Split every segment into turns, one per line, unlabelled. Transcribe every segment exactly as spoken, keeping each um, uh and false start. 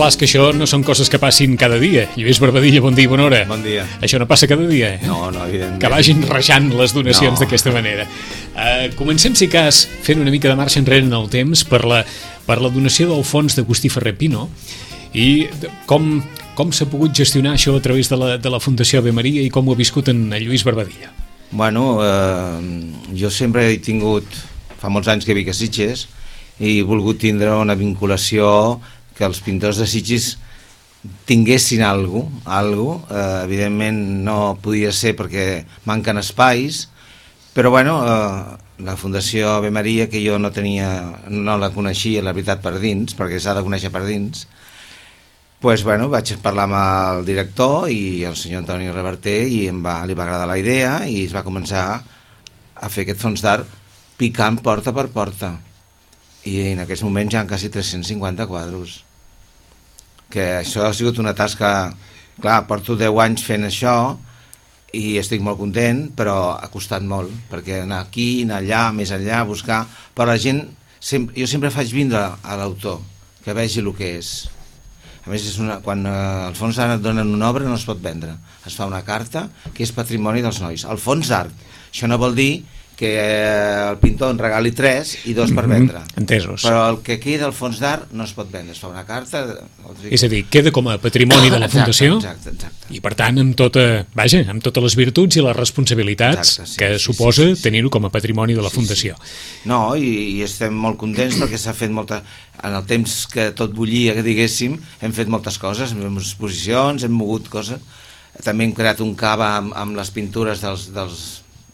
clar, és que això no són coses que passin cada dia. Lluís Barbadilla, bon dia i bona hora.
Bon dia.
Això no passa cada dia, eh?
No, no, evidentment.
Que vagin rejant les donacions
no.
d'aquesta manera. Uh, comencem, si cas, fent una mica de marxa enrere en el temps per la, per la donació del fons d'Agustí Ferrer Pino i com, com s'ha pogut gestionar això a través de la, de la Fundació Ave Maria i com ho ha viscut en Lluís Barbadilla.
Bueno, eh, jo sempre he tingut, fa molts anys que vic a Sitges, i he volgut tindre una vinculació que els pintors de Sitges tinguessin alguna cosa, alguna cosa. Eh, evidentment no podia ser perquè manquen espais, però bueno, eh, la Fundació Ave Maria, que jo no tenia, no la coneixia, la veritat, per dins, perquè s'ha de conèixer per dins, pues, bueno, vaig parlar amb el director i el senyor Antoni Reverter i em va, li va agradar la idea i es va començar a fer aquest fons d'art picant porta per porta. I en aquests moments hi ha quasi tres-cents cinquanta quadros, que això ha sigut una tasca, clar, porto deu anys fent això i estic molt content, però ha costat molt, perquè anar aquí, anar allà, més enllà, buscar, però la gent, sempre, jo sempre faig vindre a l'autor, que vegi el que és. A més, és una, quan eh, els fons d'art et donen una obra no es pot vendre, es fa una carta que és patrimoni dels nois, el fons d'art. Això no vol dir que el pintor en regali tres i dos per vendre.
Mm-hmm. Entesos.
Però el que queda al fons d'art no es pot vendre, es fa una carta...
És a dir, queda com a patrimoni de la Fundació,
exacte, exacte, exacte.
I per tant amb, tota, vaja, amb totes les virtuts i les responsabilitats exacte, sí, que sí, suposa sí, sí, sí. tenir-ho com a patrimoni de la sí, Fundació.
Sí. No, i, i estem molt contents perquè s'ha fet molta... En el temps que tot bullia, que diguéssim, hem fet moltes coses, hem fet exposicions, hem mogut coses. També hem creat un cava amb, amb les pintures dels... dels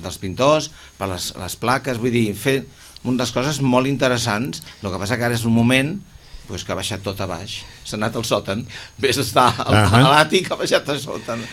dels pintors, per les, les plaques, vull dir, fer unes coses molt interessants. El que passa que ara és un moment pues, que ha baixat tot a baix, s'ha anat al sòtan, ves a estar al, uh -huh. a l'àtic, ha baixat al sòtan,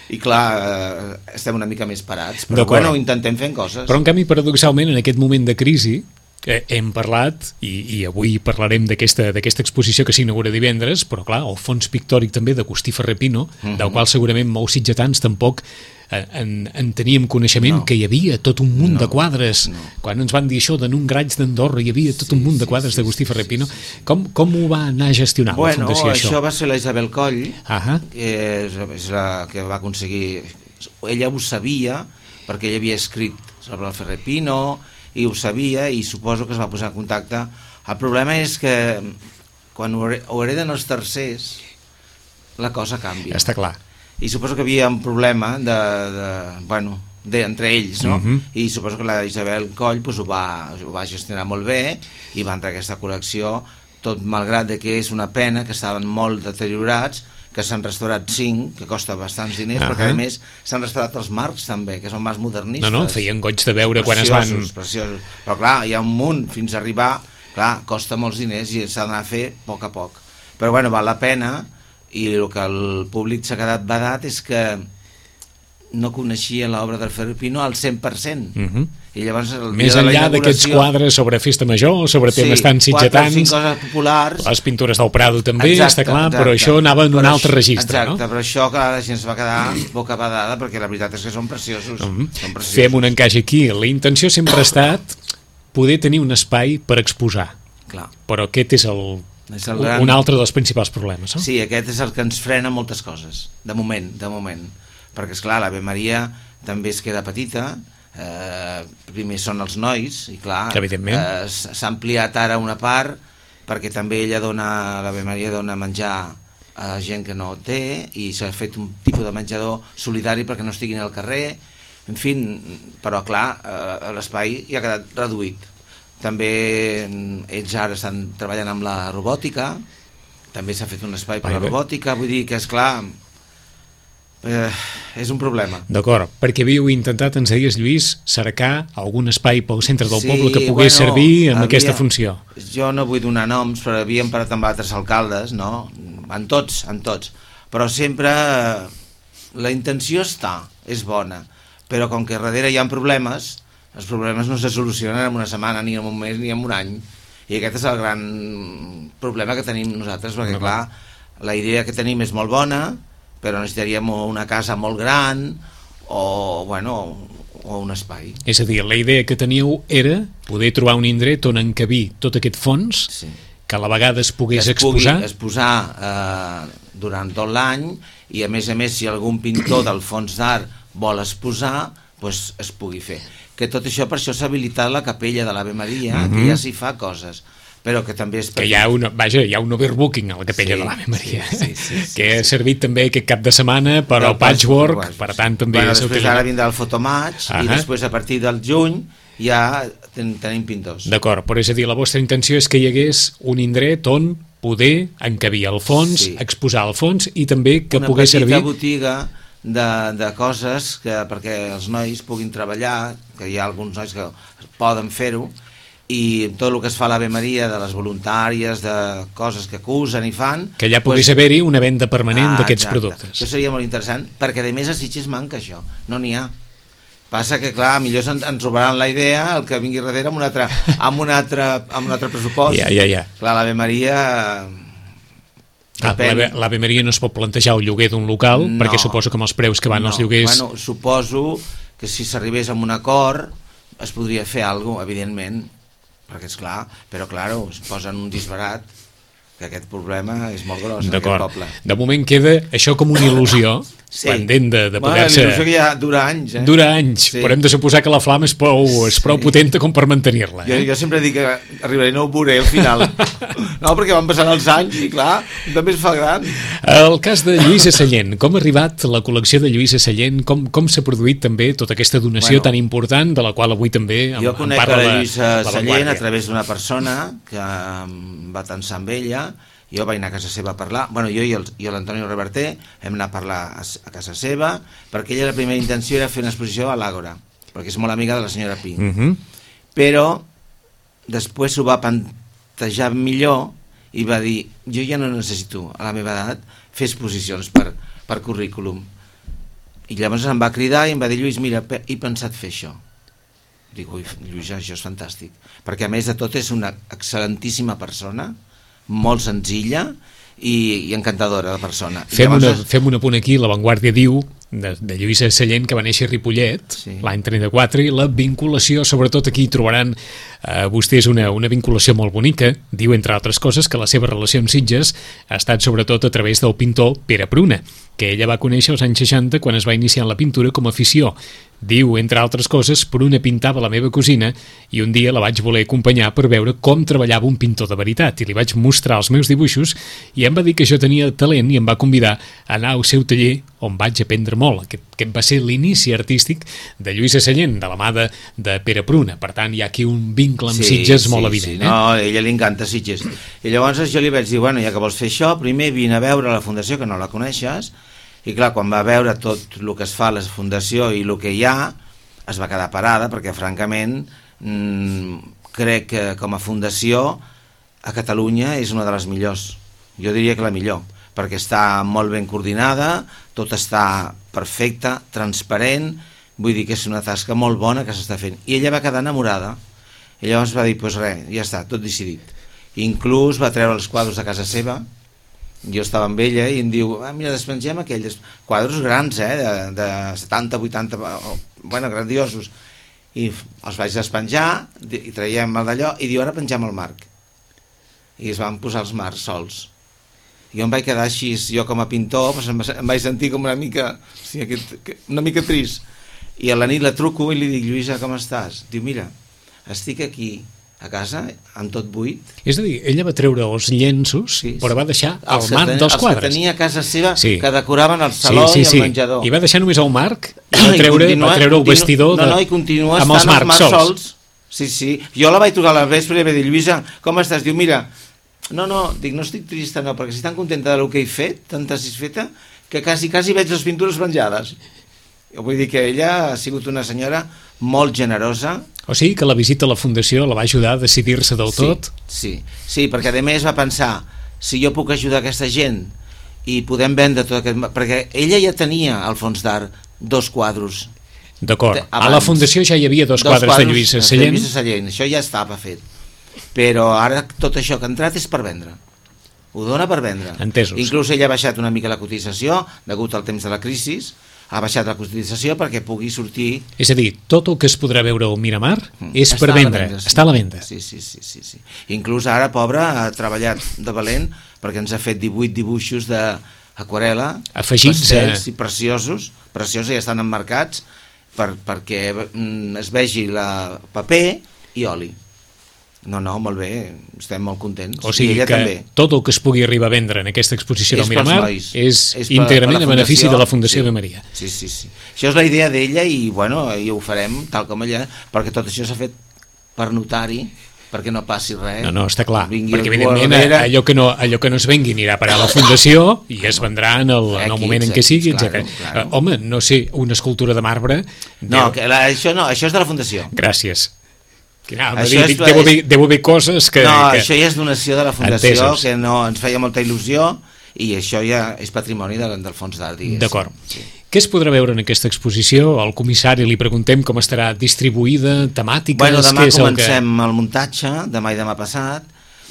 i clar, eh, estem una mica més parats, però bueno, intentem fer coses.
Però en canvi, paradoxalment, en aquest moment de crisi, eh, hem parlat, i, i avui parlarem d'aquesta d'aquesta exposició que s'inaugura divendres, però clar, el fons pictòric també d'Agustí Ferrer Pino, uh -huh. del qual segurament molts sitgetans tampoc En, en teníem coneixement no. que hi havia tot un munt no, de quadres no. Quan ens van dir això de un graig d'Andorra hi havia tot sí, un munt de quadres sí, d'Agustí Ferrer Pino. Com, com ho va anar a gestionar
bueno,
la Fundació això?
Això va ser la Isabel Coll,
uh-huh.
que és, és la que va aconseguir, ella ho sabia perquè ella havia escrit sobre el Ferrer Pino i ho sabia i suposo que es va posar en contacte. El problema és que quan ho hereden els tercers la cosa canvia.
Està clar.
I suposo que hi havia un problema de, de, bueno, de, entre ells, no? Uh-huh. I suposo que la Isabel Coll pues, ho, va, ho va gestionar molt bé i va entrar aquesta col·lecció, tot malgrat que és una pena que estaven molt deteriorats, que s'han restaurat cinc, que costa bastants diners, uh-huh. perquè a més s'han restaurat els marcs també, que són més modernistes.
No, no, feien goig de veure quan es van...
Preciosos, però clar, hi ha un munt fins a arribar, clar, costa molts diners i s'ha d'anar a fer a poc a poc. Però bueno, val la pena. I el que el públic s'ha quedat badat és que no coneixia l'obra del Ferrer Pino al cent per cent. Uh-huh. I llavors el
Més
dia
enllà d'aquests quadres sobre festa major, sobre
sí,
temes tan sitgetans,
coses populars,
les pintures del Prado també,
exacte,
està clar,
exacte.
Però això anava en un
però
altre registre,
exacte,
no?
Però això que la gent es va quedar boca badada perquè la veritat és que són preciosos. Uh-huh. són preciosos.
Fem un encaix aquí. La intenció sempre ha estat poder tenir un espai per exposar.
Clar.
Però aquest és el... És gran... un altre dels principals problemes, no?
Sí, aquest és el que ens frena moltes coses, de moment, de moment. Perquè, esclar, l'Ave Maria també es queda petita, eh, primer són els nois, i clar, eh, s'ha ampliat ara una part, perquè també ella dona, l'Ave Maria dona menjar a gent que no té, i s'ha fet un tipus de menjador solidari perquè no estiguin al carrer, en fi, però clar, eh, l'espai ja ha quedat reduït. També ells ara estan treballant amb la robòtica, també s'ha fet un espai per a la robòtica, vull dir que és clar, eh, és un problema.
D'acord, perquè havíeu intentat, ens deies, Lluís, cercar algun espai pel centre del
sí,
poble que pogués bueno, servir amb havia, aquesta funció.
Jo no vull donar noms, però havíem parat amb altres alcaldes, no? En tots, en tots, però sempre la intenció està, és bona, però com que darrere hi ha problemes, els problemes no se solucionen en una setmana, ni en un mes, ni en un any. I aquest és el gran problema que tenim nosaltres, perquè, no, clar, la idea que tenim és molt bona, però necessitaríem una casa molt gran o, bueno, o un espai.
És a dir, la idea que teníeu era poder trobar un indret on encabir tot aquest fons sí. que a la vegada es pogués
es
exposar.
Es exposar eh, durant tot l'any, i a més a més si algun pintor del fons d'art vol exposar, pues es pugui fer. Que tot això, per això s'ha habilitat la capella de l'Ave Maria, mm-hmm. que ja s'hi fa coses, però que també és...
Que hi ha, una, vaja, hi ha un overbooking a la capella sí, de l'Ave Maria, sí, sí, sí, sí, que ha servit sí. també aquest cap de setmana per al patchwork, patchwork, per tant també...
Bueno, després ara vindrà el fotomatch, uh-huh. i després a partir del juny ja ten, tenim pintors.
D'acord, però és a dir, la vostra intenció és que hi hagués un indret on poder encabir el fons, sí. exposar el fons, i també que
una
pogués servir...
Una petita botiga de, de coses que, perquè els nois puguin treballar, que hi ha alguns nois que poden fer-ho, i tot el que es fa a l'Ave Maria, de les voluntàries, de coses que acusen i fan...
Que allà pogués pues, haver-hi una venda permanent ah, d'aquests productes.
Això seria molt interessant, perquè a més a Sitges manca això, no n'hi ha. Passa que, clar, millor ens, ens robaran la idea el que vingui darrere amb un altre, amb un altre, amb un altre pressupost.
Ja, ja, ja.
Clar, l'Ave Maria...
Ah, l'Ave Maria no es pot plantejar el lloguer d'un local, no, perquè suposo que amb els preus que van no. els lloguers...
Bueno, suposo que si s'arribés a un acord es podria fer alguna cosa, evidentment, perquè és clar, però clar, es posen un disbarat, que aquest problema és molt gros en aquest poble.
De moment queda això com una il·lusió, sí. pendent de, de poder-se...
Bueno, l'il·lusió que ja dura anys, eh?
Dura anys, sí. però hem de suposar que la flama és prou, és prou sí. potenta com per mantenir-la. Eh?
Jo, jo sempre dic que arribaré, no ho veuré al final. No, perquè van passant els anys i clar, també es fa gran.
El cas de Lluïsa Sallent, com ha arribat la col·lecció de Lluïsa Sallent, com, com s'ha produït també tota aquesta donació bueno, tan important, de la qual avui també en,
jo conec
en parla
la Lluïsa
la,
Sallent a través d'una persona que va tensar amb ella. Jo vaig anar a casa seva a parlar, bueno, jo i l'Antonio Reverter hem anat a parlar a, a casa seva, perquè ella la primera intenció era fer una exposició a l'Àgora, perquè és molt amiga de la senyora Pi.
Uh-huh.
Però després ho va plantejar millor i va dir, jo ja no necessito a la meva edat fer exposicions per, per currículum. I llavors em va cridar i em va dir, Lluís, mira, he pensat fer això. Dic, ui, Lluís, això és fantàstic, perquè a més de tot és una excel·lentíssima persona, molt senzilla i, i encantadora de persona.
Fem, llavors... una, fem un apunt aquí, La Vanguardia diu de, de Lluïsa Sallent, que va néixer a Ripollet sí. l'any trenta-quatre, i la vinculació, sobretot aquí trobaran eh, vostès una, una vinculació molt bonica. Diu, entre altres coses, que la seva relació amb Sitges ha estat sobretot a través del pintor Pere Pruna, que ella va conèixer als anys seixanta quan es va iniciar en la pintura com a afició. Diu, entre altres coses, Pruna pintava la meva cosina i un dia la vaig voler acompanyar per veure com treballava un pintor de veritat, i li vaig mostrar els meus dibuixos i em va dir que jo tenia talent i em va convidar a anar al seu taller, on vaig aprendre molt. Aquest, aquest va ser l'inici artístic de Lluïsa Sallent, de la mà de, de Pere Pruna. Per tant, hi ha aquí un vincle amb sí, Sitges molt sí, evident.
Sí. Eh? No, a ella li encanta Sitges. I llavors jo li vaig dir, bueno, ja que vols fer això, primer vine a veure la fundació, que no la coneixes. I clar, quan va veure tot el que es fa a la fundació i el que hi ha, es va quedar parada, perquè francament mmm, crec que com a fundació a Catalunya és una de les millors. Jo diria que la millor, perquè està molt ben coordinada, tot està perfecte, transparent, vull dir que és una tasca molt bona que s'està fent. I ella va quedar enamorada, i llavors va dir, doncs res, ja està, tot decidit. Inclús va treure els quadres de casa seva. Jo estava amb ella i em diu, ah, mira, despengem aquells quadres grans, eh, de, de setanta, vuitanta, bueno, grandiosos, i els vaig despenjar i traiem el d'allò i diu, ara pengem el marc, i es van posar els marcs sols. Jo em vaig quedar així, jo com a pintor doncs em, em vaig sentir com una mica o sigui, una mica trist, i a la nit la truco i li dic, Lluïsa, com estàs? Diu, mira, estic aquí a casa, amb tot buit.
És a dir, ella va treure els llenços, sí, sí. però va deixar el
els
marc
ten,
dels quadres.
Els que tenia a casa seva, sí. que decoraven el saló
sí, sí,
i el
sí.
menjador.
I va deixar només el marc i va treure, I continua, va treure el vestidor
continua, de, no, no, i continua
amb els marcs,
els marcs
sols.
sols. Sí, sí. Jo la vaig trucar a la vespre i va dir, Lluïsa, com estàs? Diu, mira, no, no, dic, no estic trista, no, perquè estic tan contenta del que he fet, tan satisfeta, que quasi, quasi veig les pintures penjades. Vull dir que ella ha sigut una senyora molt generosa.
O sigui que la visita a la Fundació la va ajudar a decidir-se del
sí,
tot?
Sí, sí, perquè a més va pensar, si jo puc ajudar aquesta gent i podem vendre tot aquest... Perquè ella ja tenia al fons d'art dos quadros.
D'acord, a la Fundació ja hi havia dos, dos quadres, quadres de Lluïsa Sallent.
De Lluïsa Sallent, això ja estava fet. Però ara tot això que ha entrat és per vendre. Ho dona per vendre.
Entesos.
Inclús ella ha baixat una mica la cotització, degut al temps de la crisi, ha baixat la cotització perquè pugui sortir...
És a dir, tot el que es podrà veure al Miramar és
Està
per
a la
vendre,
venda, sí.
està a la venda.
Sí, sí, sí, sí, sí. Inclús ara, pobre, ha treballat de valent perquè ens ha fet divuit dibuixos d'aquarel·la,
afegits
pastels
a...
i preciosos, preciosos, ja estan emmarcats per, perquè mm, es vegi la paper i oli. No, no, molt bé, estem molt contents.
O sigui
I ella
que
també.
tot el que es pugui arribar a vendre en aquesta exposició del Miramar és,
és
íntegrament
per, per
a benefici de la Fundació
sí,
Ave Maria.
Sí, sí, sí. Això és la idea d'ella i, bueno, i ho farem tal com ella, perquè tot això s'ha fet per notari, perquè no passi res.
No, no, està clar,
Vingui
perquè evidentment
darrere...
allò que, no, allò que no es vengui anirà a parar a la Fundació i es vendrà en el, en el moment en què sigui,
claro,
etcètera.
claro.
Uh, home, no sé, una escultura de marbre...
No,
deu...
que la, això no, això és de la Fundació.
Gràcies. Que, no,
Això
dic,
és-
deu, haver, deu haver coses que...
No,
que...
això ja és donació de la Fundació,
Entesos.
que no ens feia molta il·lusió, i això ja és patrimoni del, del fons d'art, diguéssim.
D'acord.
Sí.
Què es podrà veure en aquesta exposició? Al comissari li preguntem com estarà distribuïda, temàtiques...
Bueno, demà
què és el
comencem el, que... el muntatge, demà i demà passat.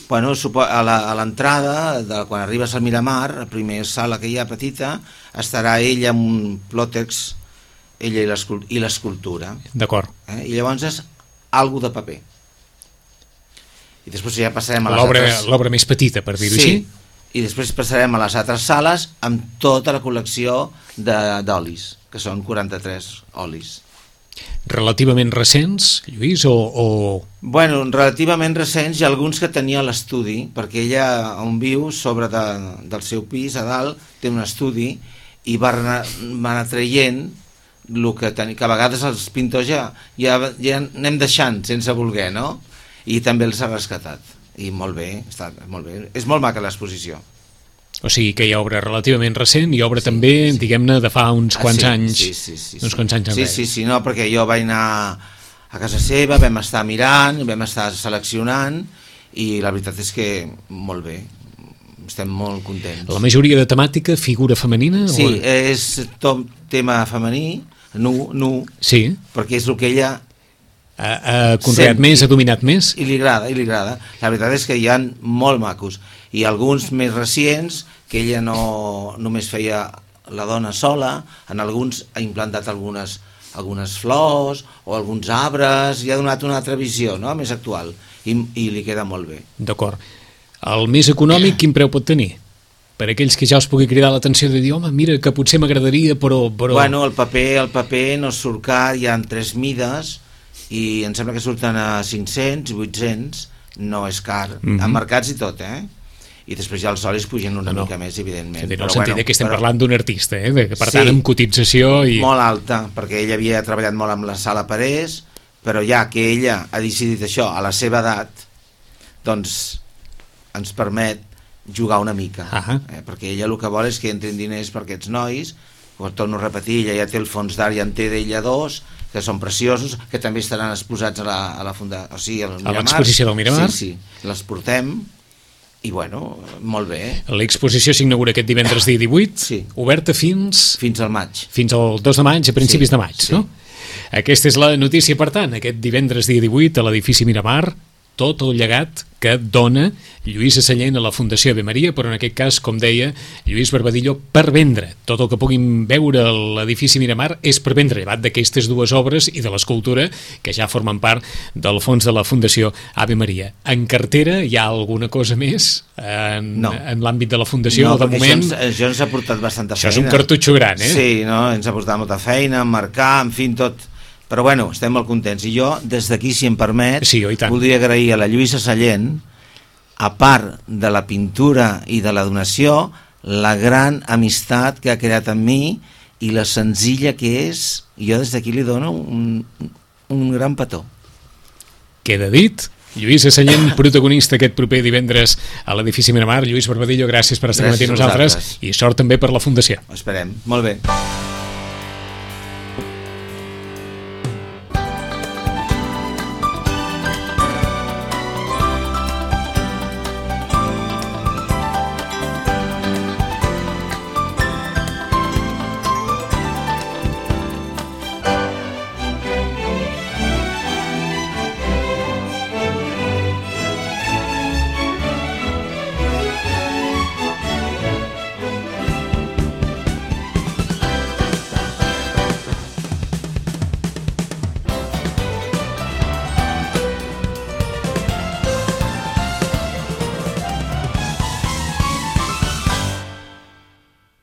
Bueno, a la- a l'entrada, de- quan arribes al Miramar, la primera sala que hi ha petita, estarà ella amb un plòtex, ella i l'escul- i l'escultura.
D'acord.
Eh? I llavors és algo de paper. I després ja passarem a les
L'obra
altres...
l'obra més petita, per dir-ho
Sí,
així?
i després passarem a les altres sales amb tota la col·lecció de- d'olis, que són quaranta-tres olis.
Relativament recents, Lluís, o... o...
Bueno, relativament recents i alguns que tenia a l'estudi, perquè ella on viu, sobre de, del seu pis, a dalt, té un estudi i va anar, va anar traient el que, ten, que a vegades els pintors ja, ja, ja anem deixant sense voler, no? I també els ha rescatat. I molt bé, està molt bé. És molt maca l'exposició.
O sigui que hi ha obra relativament recent i obra
Sí,
també,
sí.
diguem-ne, de fa uns quants
ah, sí,
anys.
Sí, sí, sí,
uns
sí.
quants anys
sí,
enrere.
sí, sí, no, perquè jo vaig anar a casa seva, vam estar mirant, vam estar seleccionant i la veritat és que molt bé, estem molt contents.
La majoria de temàtica, figura femenina?
Sí,
o...
és tot tema femení, nu, nu,
Sí,
perquè és el que ella
ha, ha conreat
Sent-
més, ha dominat més?
i li agrada, i li agrada. La veritat és que hi ha molt macos i alguns més recents que ella no només feia la dona sola, en alguns ha implantat algunes, algunes flors o alguns arbres i ha donat una altra visió, no?, més actual i, i li queda molt bé.
D'acord. El més econòmic, quin preu pot tenir? Per aquells que ja us pugui cridar l'atenció de dir, home, mira, que potser m'agradaria, però... però...
Bueno, el paper, el paper no surt car, hi ha tres mides i em sembla que surten a cinc-cents, vuit-cents, no és car,
Mhm.
emmarcats i tot, eh? I després ja els solis pugen una
No, no.
mica més, evidentment.
En el
Però
sentit
bueno,
que estem
però
parlant d'un artista, eh? De, per
Sí.
tant, amb cotització i...
molt alta, perquè ella havia treballat molt amb la Sala Parés, però ja que ella ha decidit això a la seva edat, doncs ens permet jugar una mica,
Ahà.
eh? Perquè ella el que vol és que entrin diners per aquests nois, ho torno a repetir, ella ja té el fons d'art, ja en té d'ella dos, que són preciosos, que també estaran exposats a la, a la funda, o sigui, al Miramar.
l'exposició del Miramar.
Sí, sí, les portem, i bueno, molt bé,
L'exposició s'inaugura aquest divendres dia divuit,
Sí.
oberta fins...
fins al maig.
fins al dos de maig, a principis
Sí,
de maig,
sí.
no? Aquesta és la notícia, per tant, aquest divendres dia divuit a l'edifici Miramar, tot el llegat que dona Lluís Sallent a la Fundació Ave Maria, però en aquest cas, com deia, Lluís Barbadillo, per vendre. Tot el que puguin veure a l'edifici Miramar és per vendre, llevat d'aquestes dues obres i de l'escultura que ja formen part del fons de la Fundació Ave Maria. En cartera hi ha alguna cosa més en,
No.
en l'àmbit de la Fundació?
No,
de
perquè
moment,
això ens, això ens ha portat bastanta
això
feina.
és un cartutxo gran, eh?
Sí, no? Ens ha portat molta feina, marcar, en fi, tot. Però bueno, estem molt contents. I jo, des d'aquí, si em permet,
Sí, oi tant.
voldria agrair a la Lluïsa Sallent, a part de la pintura i de la donació, la gran amistat que ha creat amb mi i la senzilla que és, i jo des d'aquí li dono un, un gran petó.
Queda dit. Lluís Sallent, protagonista aquest proper divendres a l'edifici Miramar. Lluís Barbadillo, gràcies per estar
Gràcies
amb
a
nosaltres
vosaltres.
i sort també per la Fundació.
Esperem. Molt bé.